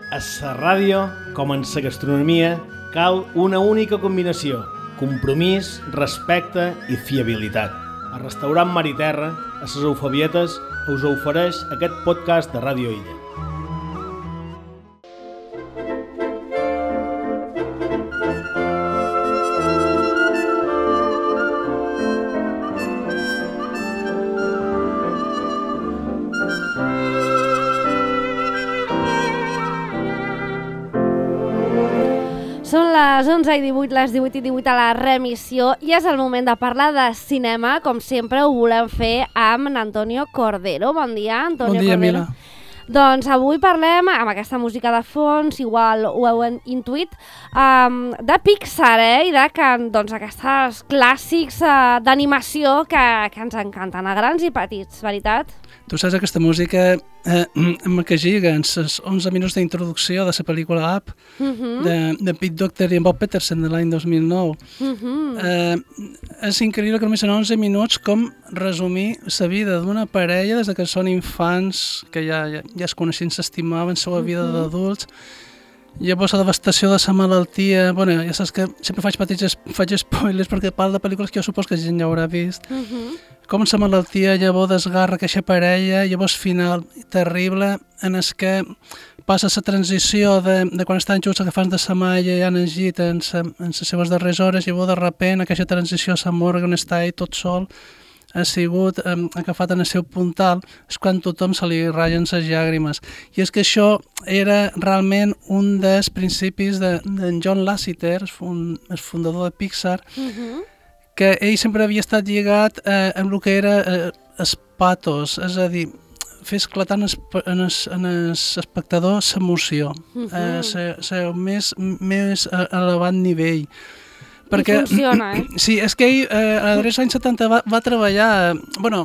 A la ràdio, com en la gastronomia, cal una única combinació: compromís, respecte i fiabilitat. El restaurant Mar i Terra, a les Eufebietes, us ofereix aquest podcast de Ràdio Illa. Són les 11:18, les 18:18 a la remissió i és el moment de parlar de cinema. Com sempre ho volem fer amb Antonio Cordero. Bon dia, Antonio Cordero. Bon dia, Mila. Doncs avui parlem, amb aquesta música de fons, igual ho heu intuït, de Pixar, i de doncs, aquests clàssics d'animació que ens encanten, a grans i petits, veritat? Tu saps aquesta música que lliga en els 11 minuts d'introducció de la pel·lícula Up, de Pete Docter i en Bob Peterson de l'any 2009. És increïble que només en 11 minuts com resumir la vida d'una parella des que són infants, que ja es coneixien, s'estimaven, la seva vida d'adults. Llavors la devastació de la malaltia, bueno, ja saps que sempre faig spoilers perquè parlo de pel·lícules que jo supos que la gent ja haurà vist. Com la malaltia llavors desgarra aquesta parella, llavors final terrible en el que passa la transició de quan estan junts agafant de la malla i han llegit en les seves darreres hores, llavors de repent aquesta transició a Morgan està ahí tot sol, ha sigut agafat en el seu puntal, és quan tothom se li ratllen les llàgrimes. I és que això era realment un dels principis d'en John Lasseter, el fundador de Pixar, que ell sempre havia estat lligat amb el que era els patos, és a dir, fer esclatar en l'espectador l'emoció, el més elevat nivell. Perquè, i funciona, Sí, és que ell a els anys 70 va treballar, bueno,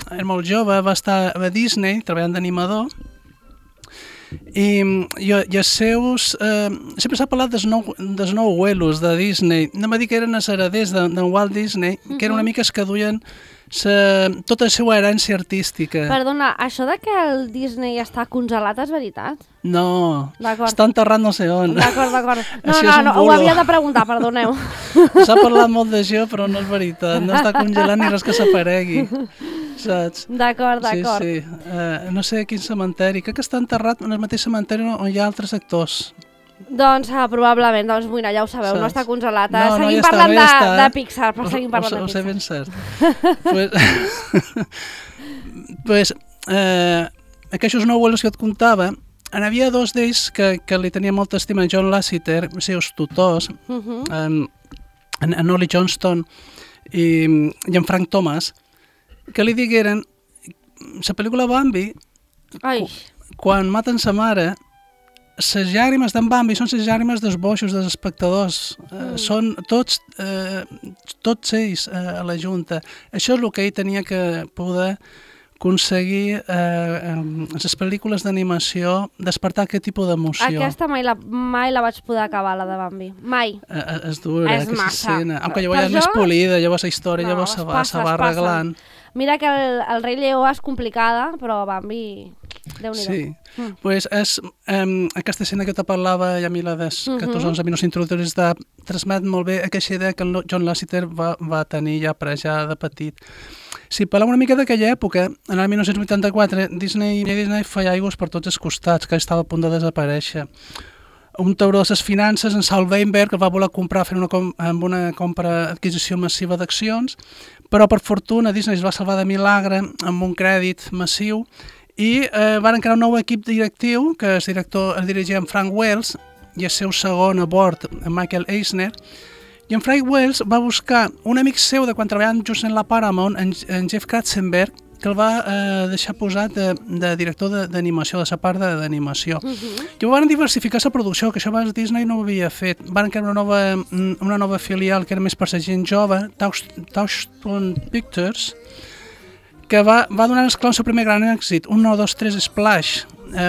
era molt jove, va estar a Disney treballant d'animador, i els seus... sempre s'ha parlat dels nou abuelos de Disney. No m'ha dit que eren els hereders d'en Walt Disney, que eren una mica els que duien tota la seva herència artística. Perdona, això de que el Disney està congelat és veritat? No, està enterrat no sé on. D'acord. No, ho havia de preguntar, perdoneu. S'ha parlat molt d'això, però no és veritat. No està congelat ni res que s'aparegui. Saps? D'acord. Sí. No sé quin cementeri. Crec que està enterrat en el mateix cementeri on hi ha altres actors. Doncs probablement, mira, ja ho sabeu, no està congelat. Seguim ja parlant de Pixar, però seguim parlant de Pixar. Ho sé ben cert. Pues, aquests nou abuelos que et contava, n'hi havia dos d'ells que li tenia molta estima, John Lasseter, els seus tutors, en Ollie Johnston i en Frank Thomas, que li digueren la pel·lícula Bambi, quan maten sa mare, les llàgrimes d'en Bambi són les llàgrimes dels boixos, dels espectadors. Són tots ells a la junta. Això és el que ell tenia que poder aconseguir les pel·lícules d'animació, despertar aquest tipus d'emoció. Aquesta mai la vaig poder acabar, la de Bambi. Mai. És dura, aquesta escena. Aunque llavors ja és més polida, llavors la història llavors se va arreglant. Mira que el rei Lleó és complicada, però Bambi... Déu-n'hi-do. Sí, pues és aquesta escena que te parlava, Yamila, que tots 11 minuts introductoris transmet molt bé aquesta idea que el John Lasseter va tenir ja de petit. Si parlem una mica d'aquella època, en el 1984, Disney feia aigües per tots els costats, que estava a punt de desaparèixer. Un tauró de les finances, en Saul Weinberg, el va voler comprar amb una adquisició massiva d'accions, però per fortuna Disney es va salvar de milagre amb un crèdit massiu i van crear un nou equip directiu, que es dirigia en Frank Wells i el seu segon a bord, en Michael Eisner, i en Frank Wells va buscar un amic seu de quan treballaven just en la Paramount, en Jeff Katzenberg, que el va deixar posat de director d'animació, de la part d'animació. I van diversificar la producció, que això abans Disney no ho havia fet. Van crear una nova filial que era més per la gent jove, Touchstone Pictures, que va donar esclar el seu primer gran èxit, 1, 2, 3 Splash,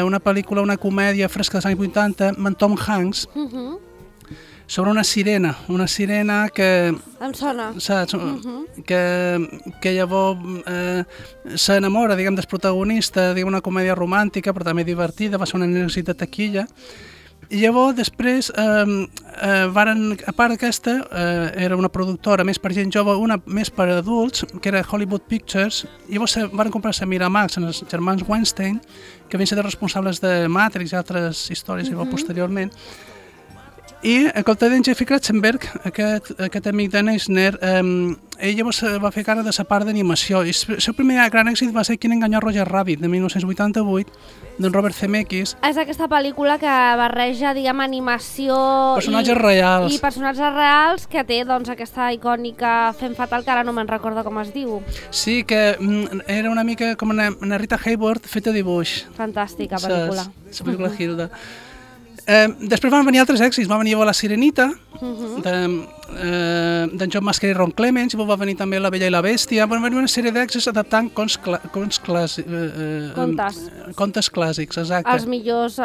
una pel·lícula, una comèdia fresca dels anys 80, amb Tom Hanks, sobre una sirena que... Em sona. Saps? Que llavors s'enamora, diguem, del protagonista, diguem, una comèdia romàntica, però també divertida, va ser un èxit de taquilla. I llavors, després, a part d'aquesta, era una productora més per gent jove, una més per adults, que era Hollywood Pictures, i llavors van comprar-se Miramax en els germans Weinstein, que van ser els responsables de Matrix i altres històries posteriorment. I en compte d'en Jeffrey Katzenberg, aquest amic de Eisner, ell llavors va fer cara de la part d'animació. I el seu primer gran èxit va ser Quin enganyà Roger Rabbit, de 1988, d'en Robert Zemeckis. És aquesta pel·lícula que barreja, diguem, animació... Personatges reals. I personatges reals, que té, doncs, aquesta icònica Femme Fatal, que ara no me'n recordo com es diu. Sí, que era una mica com una Rita Hayworth feta dibuix. Fantàstica pel·lícula. La pel·lícula Hilda. Després van venir altres èxits, va venir La Sirenita, d'en John Masquer i Ron Clements, i va venir també La Bella i la Bèstia, van venir una sèrie d'èxits adaptant contes clàssics, exacte. Els millors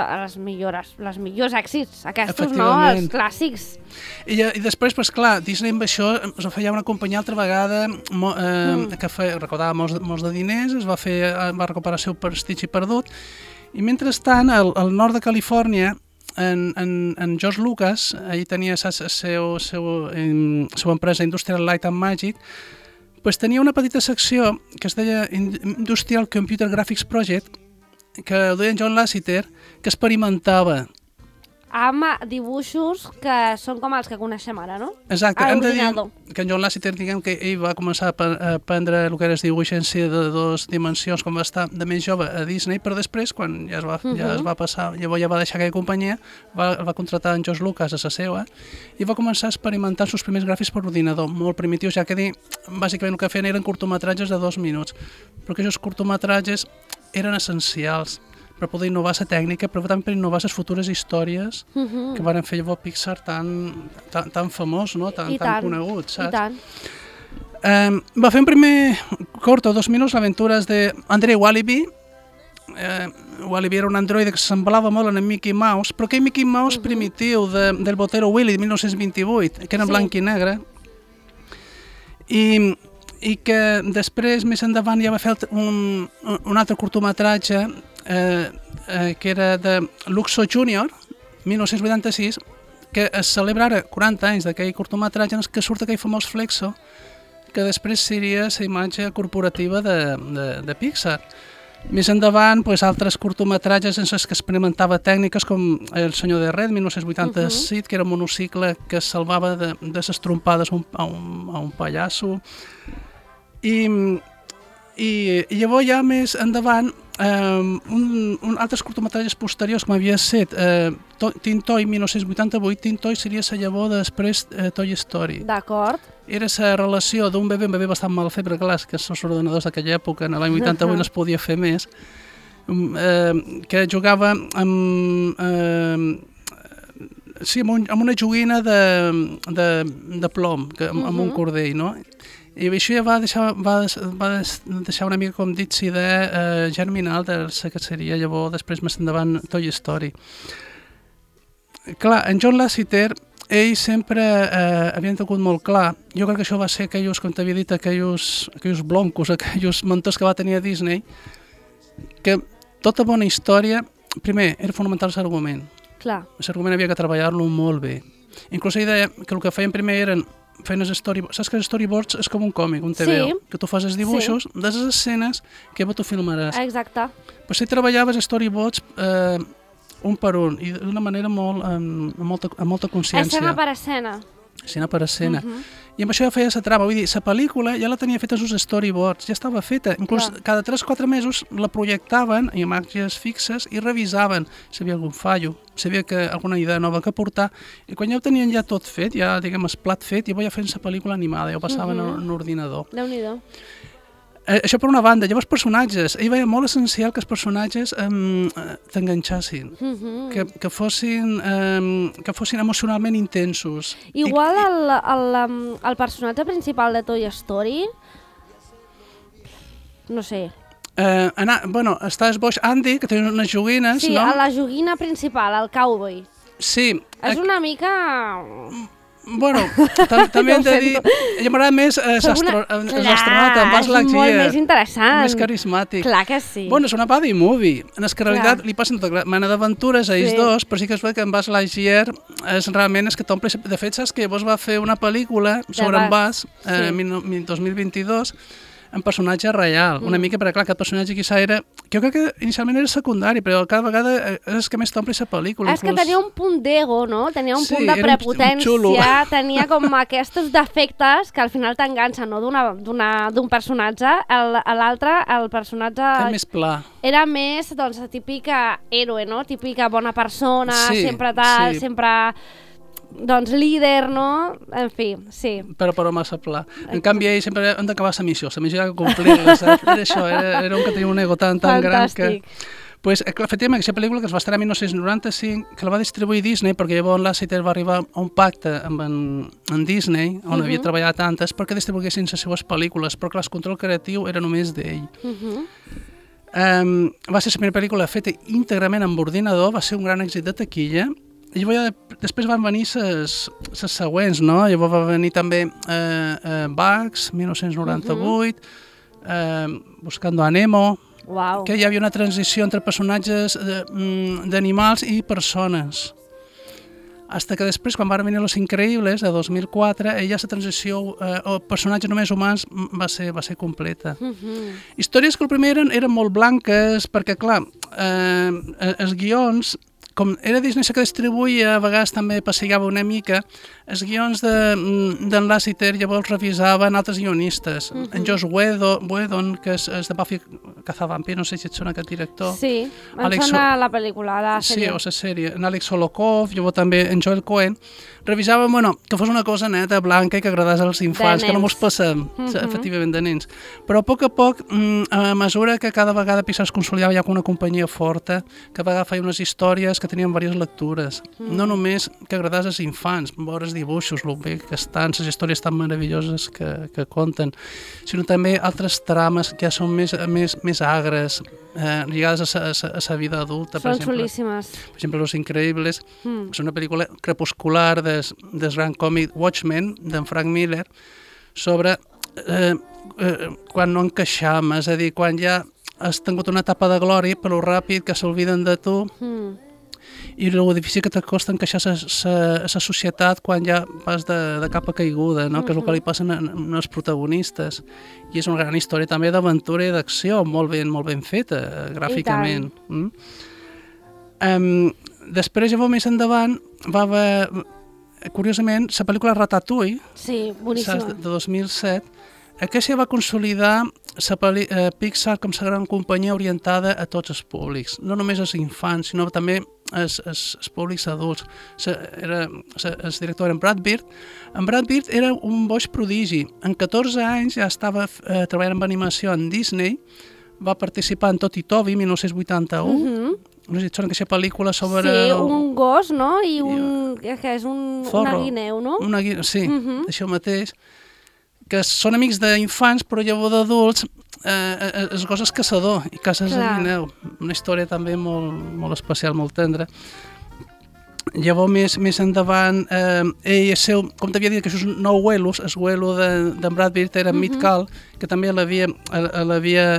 èxits, aquests, no? Els clàssics. I després, doncs clar, Disney amb això es va fer ja una companyia altra vegada que recaudava molts de diners, va recuperar el seu prestigi perdut, i mentrestant, al nord de Califòrnia, en George Lucas, ell tenia la seva empresa Industrial Light and Magic, doncs tenia una petita secció que es deia Industrial Computer Graphics Project, que ho deia en John Lasseter, que experimentava amb dibuixos que són com els que coneixem ara, no? Exacte, hem de dir que en John Lasseter, diguem que ell va començar a aprendre el que era el dibuix en si de dues dimensions quan va estar de més jove a Disney, però després, quan ja es va passar, llavors ja va deixar aquella companyia, va contratar en George Lucas a la seva i va començar a experimentar els seus primers gràfics per ordinador, molt primitius, ja que bàsicament el que feien eren curtometratges de 2 minuts, però aquests curtometratges eren essencials per poder innovar la tècnica, però també per innovar les futures històries que van fer llavors Pixar tan famós, no? tan conegut, saps? I tant. Va fer un primer corto, 2 minuts, l'aventures d'Andrei Walibi. Walibi era un androide que semblava molt en Mickey Mouse, però aquell Mickey Mouse primitiu del Botero Willy de 1928, que era en blanc i negre, i que després, més endavant, ja va fer un altre curtometratge que era de Luxo Junior, 1986, que es celebra ara 40 anys d'aquell curtometratge en què surt aquell famós Flexo, que després seria la imatge corporativa de Pixar. Més endavant, altres curtometratges en els que experimentava tècniques com El senyor de Red, 1987, que era un monocicle que es salvava de les trompades a un pallasso. I llavors ja més endavant altres curtometratges posteriors com havia estat Tintoy 1988, Tintoy seria la llavor després Toy Story. D'acord. Era la relació d'un bebè, un bebè bastant mal fet, perquè clar, que els ordenadors d'aquella època, en l'any 88 no es podia fer més, que jugava amb una joguina de plom, amb un cordell, no? I això ja va deixar una mica, com dit, la idea germinal de la que seria llavors, després més endavant, Toy Story. Clar, en John Lasseter, ell sempre havia tingut molt clar, jo crec que això va ser aquells, com t'havia dit, aquells bloncos, aquells mentors que va tenir a Disney, que tota bona història, primer, era fonamental l'argument. Clar. L'argument havia que treballar-lo molt bé. Inclús ell deia que el que feien primer eren feien els storyboards. Saps que els storyboards és com un còmic, un TVO, que tu fas els dibuixos de les escenes que tu filmaràs. Exacte. Però si treballaves storyboards un per un i d'una manera amb molta consciència. Escena per escena. Escena per escena. I amb això ja feia la trama, vull dir, la pel·lícula ja la tenia feta els storyboards, ja estava feta. Inclús cada 3-4 mesos la projectaven en imatges fixes i revisaven si hi havia algun fallo, si hi havia alguna idea nova que portar. I quan ja ho tenien ja tot fet, ja diguem el plat fet, ja feien la pel·lícula animada, ja ho passaven en l'ordinador. Déu-n'hi-do. Això per una banda. Llavors, personatges. Ell veia molt essencial que els personatges t'enganxassin, que fossin emocionalment intensos. Igual el personatge principal de Toy Story, no sé. Està el boix Andy, que té unes joguines, sí, no? Sí, la joguina principal, el cowboy. Sí. És una mica... Bueno, també hem de dir... A m'agrada més l'astronauta, en Buzz Lightyear. És molt més interessant. Més carismàtic. Clar que sí. Bueno, és una buddy movie. En que realitat li passen tota mena d'aventures a ells dos, però sí que es veu que en Buzz Lightyear realment és que t'omple... De fet, saps que llavors va fer una pel·lícula sobre en Buzz, en 2022, en personatge real, una mica, perquè clar, aquest personatge quizà era... Jo crec que inicialment era secundari, però cada vegada és que més t'ompli la pel·lícula. És que tenia un punt d'ego, no? Tenia un punt de prepotència, tenia com aquests defectes que al final t'enganxen, no? D'un personatge, l'altre, el personatge... Era més pla. Era més, doncs, típica héroe, no? Típica bona persona, sempre tal, sempre... doncs líder, no? En fi, sí. Però massa pla. En canvi, ell sempre han d'acabar la missió era complir-la, saps? Era això, era un que tenia un ego tan gran que... Pues, efectivament, aquesta pel·lícula que es va estrenar en 1995, que la va distribuir Disney, perquè llavors Lasseter va arribar a un pacte amb en Disney, on havia treballat antes, perquè distribuïssin les seues pel·lícules, però que el control creatiu era només d'ell. Va ser la primera pel·lícula feta íntegrament amb ordinador, va ser un gran èxit de taquilla. I després van venir les següents, no? Llavors va venir també Bugs, 1998, Buscando a Nemo, que hi havia una transició entre personatges d'animals i persones. Hasta que després, quan van venir Los Increïbles, de 2004, la transició o personatges només humans va ser completa. Històries que el primer eren molt blanques, perquè, clar, els guions... Com era Disney que distribuïa, a vegades també passegava una mica, els guions d'en Lasseter llavors revisaven altres guionistes. En Joss Whedon, que és de Buffy Cazavampirs, no sé si et sona aquest director. Sí, em sona la pel·lícula, la sèrie. Sí, o la sèrie. En Alex Solokov, llavors també en Joel Cohen. Revisaven, que fos una cosa neta, blanca i que agradés als infants, que no mos passem, efectivament, de nens. Però a poc, a mesura que cada vegada Pixar es consolidava ja com una companyia forta, que a vegades feia unes històries que tenien diverses lectures. No només que agradés als infants, veure els dibuixos, el bé que estan, les històries tan meravelloses que conten, sinó també altres trames que ja són més agres, lligades a la vida adulta. Són xulíssimes. Per exemple, Los Increïbles, és una pel·lícula crepuscular del gran còmic Watchmen, d'en Frank Miller, sobre quan no encaixam, és a dir, quan ja has tingut una etapa de glòria, però ràpid que s'olviden de tu, i el difícil que t'acosta encaixar a la societat quan ja vas de capa caiguda, no? Que és el que li passa als protagonistes. I és una gran història també d'aventura i d'acció, molt ben feta, gràficament. Després, llavors, més endavant, va haver, curiosament, la pel·lícula Ratatouille, de 2007, aquesta va consolidar Pixar com la gran companyia orientada a tots els públics, no només als infants, sinó també als públics adults. El director era en Brad Bird. En Brad Bird era un boig prodigi. En 14 anys ja estava treballant amb animació en Disney, va participar en Tot i Toby, 1981, no sé si et sona aquesta pel·lícula sobre... Sí, un gos, no? I que és una guineu, no? Sí, això mateix. Que són amics d'infants, però llavors d'adults, el gos és caçador i caça el guineu. Una història també molt especial, molt tendra. Llavors, més endavant, ell, com t'havia dit, que això és un nou Whelos, el Whelo d'en Brad Bird era Meat Cal, que també l'havia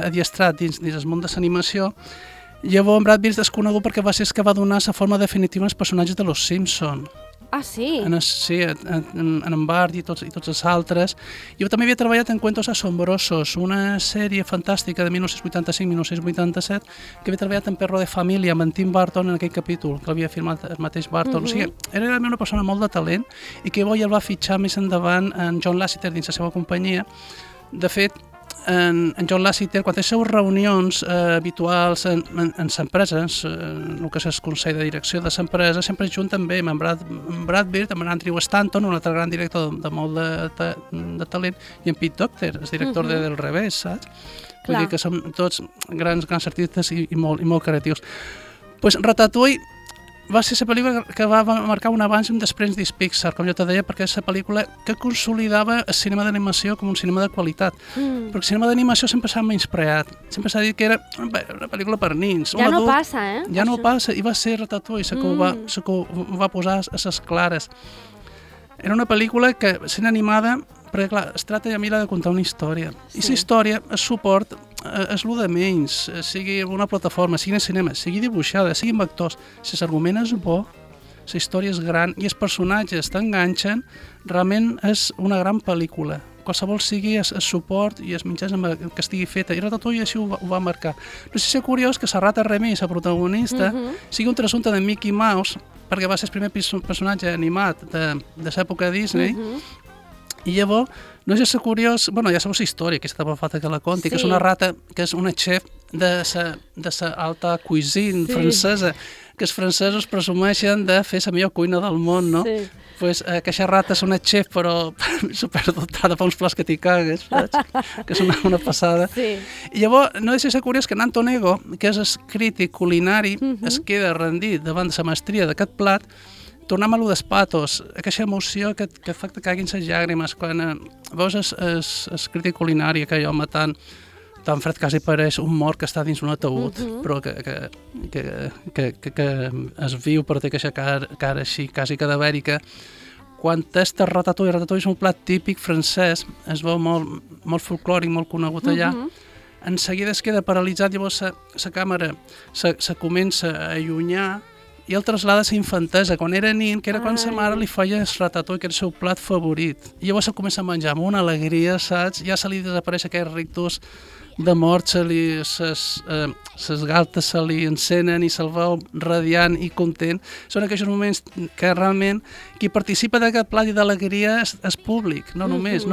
adiestrat dins el món de l'animació. Llavors, Brad Bird és conegut perquè va ser el que va donar la forma definitiva als personatges de Los Simpson. Ah, sí? Sí, en Bart i tots els altres. Jo també havia treballat en Cuentos Asombrosos, una sèrie fantàstica de 1985-1987, que havia treballat en Perro de Família amb en Tim Burton en aquell capítol, que l'havia filmat el mateix Burton. O sigui, era realment una persona molt de talent i que llavors ja el va fitxar més endavant en John Lasseter dins la seva companyia. De fet, en John Lasseter, quan té les seves reunions habituals en l'empresa, el que és el consell de direcció de l'empresa, sempre junt també amb Brad Bird, amb Andrew Stanton, un altre gran director de molt de talent, i en Pete Docter, el director de Del Revés, saps? Vull dir que som tots grans artistes i molt creatius. Pues Ratatouille va ser la pel·lícula que va marcar un abans i un després dins Pixar, com jo te deia, perquè és la pel·lícula que consolidava el cinema d'animació com un cinema de qualitat. Perquè el cinema d'animació sempre s'ha menyspreat, sempre s'ha dit que era una pel·lícula per nins. Ja no passa, Ja no passa, i va ser Ratatouille, la que ho va posar a ses clares. Era una pel·lícula que, sent animada, perquè clar, es tracta ja de contar una història. I la història, el suport, és el de menys, sigui una plataforma, sigui en cinema, sigui dibuixada, sigui amb actors. Si l'argument és bo, la història és gran i els personatges t'enganxen, realment és una gran pel·lícula. Qualsevol sigui el suport i els mitjans que estigui feta. I Ratatouille així ho va marcar. No sé si és curiós que la rata Remy, la protagonista, sigui un trasunte de Mickey Mouse, perquè va ser el primer personatge animat de l'època Disney, i llavors, no sé si és curiós, bueno, ja sabeu la història, aquesta falta que la conti, que és una rata, que és una chef de la alta cuisine francesa, que els francesos presumeixen de fer la millor cuina del món, no? Sí. Pues aquesta rata és una chef, però superdotada, fa uns plats que t'hi cagues, saps? Que és una passada. Sí. I llavors, no deixa de ser curiós que Nanto Nego, que és el crític culinari, es queda rendit davant de la mestria d'aquest plat. Tornem a lo dels patos, aquesta emoció que fa que caiguin les llàgrimes quan veus el crític culinari, aquell home tan fred quasi pareix un mort que està dins un ataúd, però que es viu, però té aquesta cara així, quasi cadavèrica. Quan és Ratatouille és un plat típic francès, es veu molt folclòric, molt conegut allà, en seguida es queda paralitzat, llavors la càmera se comença a allunyar i el traslada a la infantesa, quan era nin, que era quan sa mare li feia el ratatouille, que era el seu plat favorit. I llavors se comença a menjar amb una alegria, saps? Ja se li desapareix aquell rictus de mort, ses galtes se li encenen i se'l veu radiant i content. Són aquells moments que realment qui participa d'aquest plat i d'alegria és públic, no només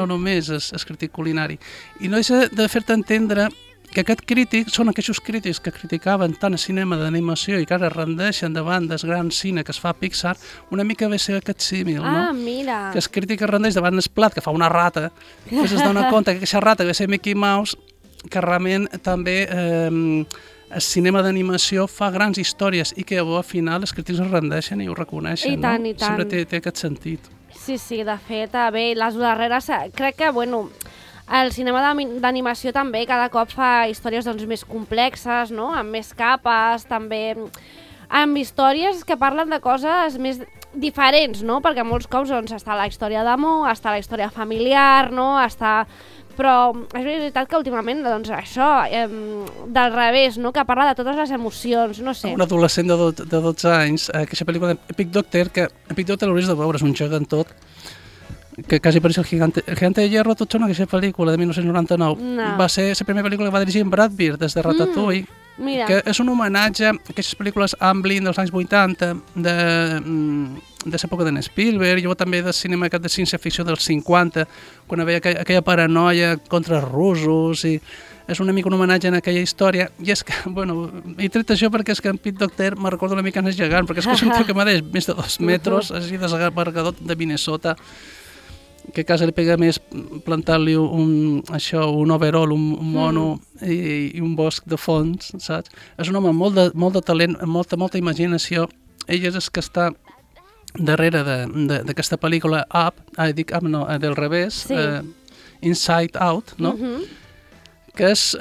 és crític culinari. I no deixa de fer-te entendre que aquest crític són aquests crítics que criticaven tant el cinema d'animació i que ara rendeixen davant del gran cine que es fa a Pixar, una mica ve ser aquest símil, no? Mira! Que el crític rendeix davant el plat que fa una rata, que es dona compte que aquesta rata ve ser Mickey Mouse, que realment també el cinema d'animació fa grans històries i que al final els crítics es rendeixen i ho reconeixen, I tant, no? I tant. Sempre té aquest sentit. Sí, de fet, bé, les darreres, crec que, bueno, el cinema d'animació també cada cop fa històries doncs, més complexes, no? Amb més capes, també amb històries que parlen de coses més diferents, no? Perquè molts cops doncs, està la història d'amor, està la història familiar, no? Però és veritat que últimament doncs, això, del revés, no? Que parla de totes les emocions, no sé. Un adolescent de 12 anys, aquesta pel·lícula d'Epic Doctor, que Epic Doctor l'hauries de veure, és un gegantot, que quasi pareix el Gigante de Hierro, tot sona aquesta pel·lícula de 1999. No. Va ser la primera pel·lícula que va dirigir en Brad Bird des de Ratatouille, que és un homenatge a aquestes pel·lícules Amblin dels anys 80, de l'època d'en Spielberg, i també del cinema de ciència-ficció dels 50, quan hi havia aquella paranoia contra els russos, i és una mica un homenatge en aquella història, i és que, bueno, he tret això perquè és que en Pete Docter me recorda una mica en el gegant, perquè és que és un tio que m'ha més de 2 metres, així desabargador de Minnesota, que a casa li pega més plantar-li un overall, un mono i un bosc de fons, saps? És un home amb molt de talent, amb molta imaginació. Ell és el que està darrere d'aquesta pel·lícula Up, dic Up no, del revés, Inside Out, no? Que és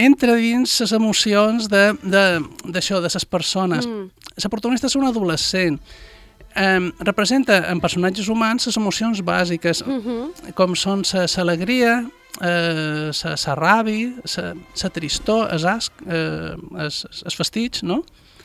entra dins les emocions d'això, de les persones. La protagonista és un adolescent, representa en personatges humans les emocions bàsiques, com són l'alegria, la ràbia, la tristor, el asc, els fastig, no?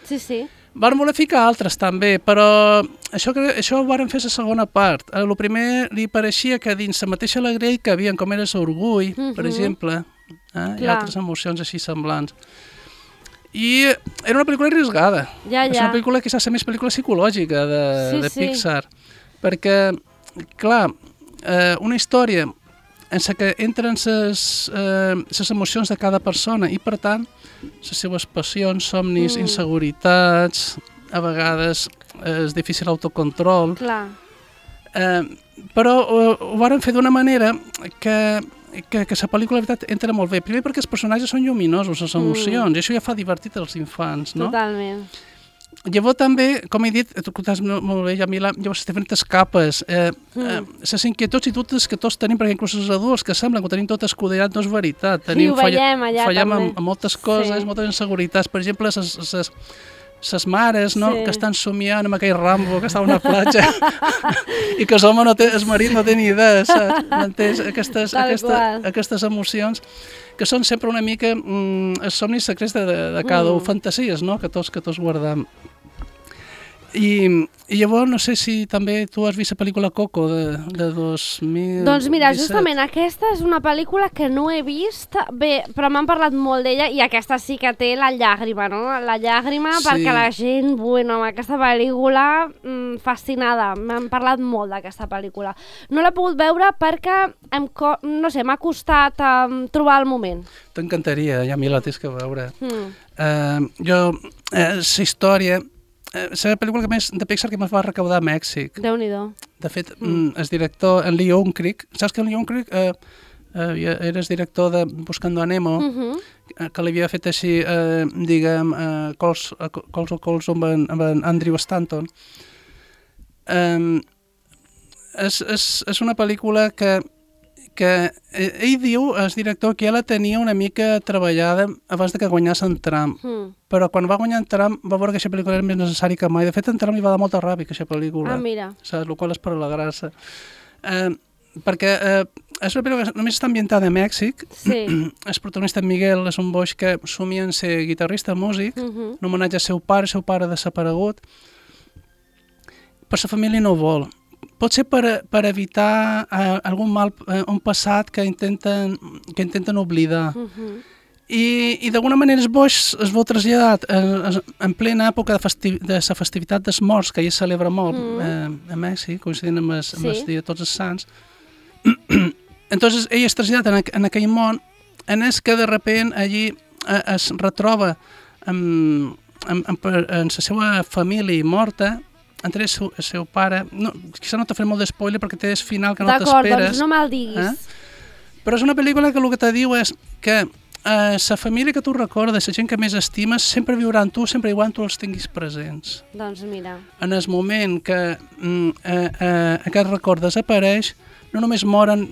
Sí. Van voler ficar altres també, però això ho van fer la segona part. El primer li pareixia que dins la mateixa alegria que havia, com era l'orgull, per exemple, i altres emocions així semblants. I era una pel·lícula arriesgada. És una pel·lícula que és la més pel·lícula psicològica de Pixar. Perquè, clar, una història en la que entren les emocions de cada persona i, per tant, les seves passions, somnis, inseguretats, a vegades és difícil autocontrol. Clar. Però ho van fer d'una manera que que la pel·lícula, la veritat, entra molt bé. Primer perquè els personatges són lluminosos, les emocions, i això ja fa divertit als infants, no? Totalment. Llavors també, com he dit, tu contaves molt bé, Jamila, llavors diferents capes, les inquietuds i dubtes que tots tenim, perquè inclús els adults que semblen que ho tenim tot escudellat, no és veritat. Ho veiem allà fallem també. en moltes coses, moltes inseguretats. Per exemple, les mares, no? Que estan somiant amb aquell Rambo que està a una platja i que el marit no té ni idea, saps? M'entens? Aquestes emocions que són sempre una mica els somnis secrets de cada un, fantasies, no? Que tots guardam. I llavors no sé si també tu has vist la pel·lícula Coco de 2017. Doncs mira, justament aquesta és una pel·lícula que no he vist, bé, però m'han parlat molt d'ella i aquesta sí que té la llàgrima, no? La llàgrima perquè la gent, bueno, amb aquesta pel·lícula fascinada, m'han parlat molt d'aquesta pel·lícula. No l'he pogut veure perquè, no sé, m'ha costat trobar el moment. T'encantaria, ja m'hi la tens que veure. La història... És la pel·lícula de Pixar que més va recaudar a Mèxic. Déu-n'hi-do. De fet, el director, en Lee Unkrich, saps que en Lee Unkrich era el director de Buscando a Nemo, que l'havia fet així, diguem, Calls amb Andrew Stanton. És una pel·lícula que ell diu, el director, que ja la tenia una mica treballada abans de que guanyés en Trump. Però quan va guanyar en Trump va veure que aquesta pel·lícula era més necessària que mai. De fet, en Trump li va dar molta ràbia aquesta pel·lícula. Mira. Saps? El qual és per la gràcia. Perquè és una pel·lícula que només està ambientada a Mèxic. Sí. El protagonista Miguel és un boix que somia en ser guitarrista músic, en homenatge al seu pare desaparegut. Però la família no vol. Pot ser per evitar algun mal, un passat que intenten oblidar. I d'alguna manera els boix es veu traslladat en plena època de la festivitat dels morts, que ja es celebra molt a Mèxic, coincidint amb el dia de Tots els Sants. Entonces ell es traslladat en aquell món en el que de repent allí es retroba en la seva família morta, entre el seu pare, quizà no t'ha fet molt d'espoiler perquè té el final que no t'esperes. D'acord, doncs no me'l diguis. Però és una pel·lícula que el que te diu és que la família que tu recordes, la gent que més estimes, sempre viurà amb tu, sempre igual tu els tinguis presents. Doncs mira. En el moment que aquest record desapareix, no només moren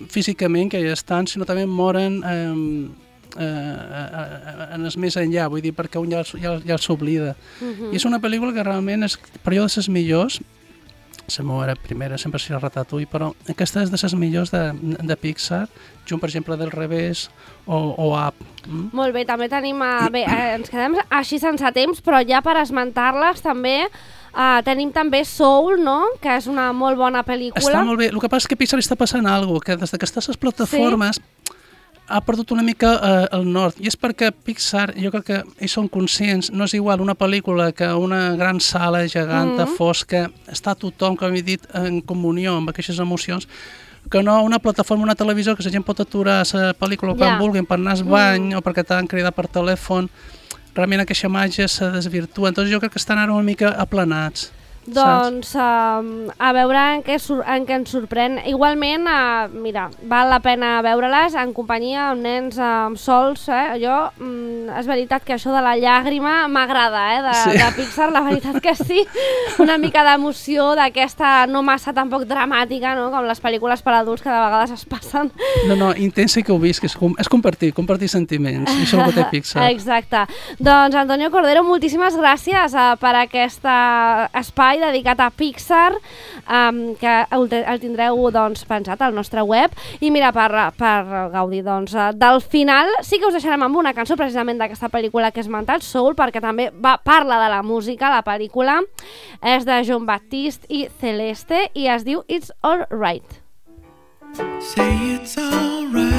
físicament, que ja estan, sinó també moren en el més enllà, vull dir, perquè un ja els s'oblida. I és una pel·lícula que realment és per jo de les millors. La meva primera sempre serà Ratatouille, però aquesta és de les millors de Pixar, junt, per exemple, del Revés o Up. Molt bé, també tenim... Bé, ens quedem així sense temps, però ja per esmentar-les també tenim també Soul, no?, que és una molt bona pel·lícula. Està molt bé. El que passa és que a Pixar està passant alguna cosa, que des que està a les plataformes ha perdut una mica el nord, i és perquè Pixar, jo crec que ells són conscients, no és igual una pel·lícula que una gran sala geganta, fosca, està tothom, com he dit, en comunió amb aquestes emocions, que no una plataforma, una televisió, que la gent pot aturar la pel·lícula quan vulguin per anar al bany o perquè t'han cridat per telèfon, realment aquesta màgia se desvirtua. Entonces jo crec que estan ara una mica aplanats. Doncs a veure en què ens sorprèn. Igualment, mira, val la pena veure-les en companyia amb nens sols. Jo, és veritat que això de la llàgrima m'agrada, de Pixar, la veritat que sí. Una mica d'emoció d'aquesta no massa tampoc dramàtica, no? Com les pel·lícules per adults que de vegades es passen. No, intensa i que ho visc, és compartir sentiments, i això és el que té Pixar. Exacte. Doncs Antonio Cordero, moltíssimes gràcies per aquest espai dedicat a Pixar, que el tindreu pensat al nostre web. I mira, per gaudir del final, sí que us deixarem amb una cançó precisament d'aquesta pel·lícula que he esmentat, Soul, perquè també parla de la música, la pel·lícula. És de Jon Batiste i Celeste i es diu It's All Right. Say it's all right.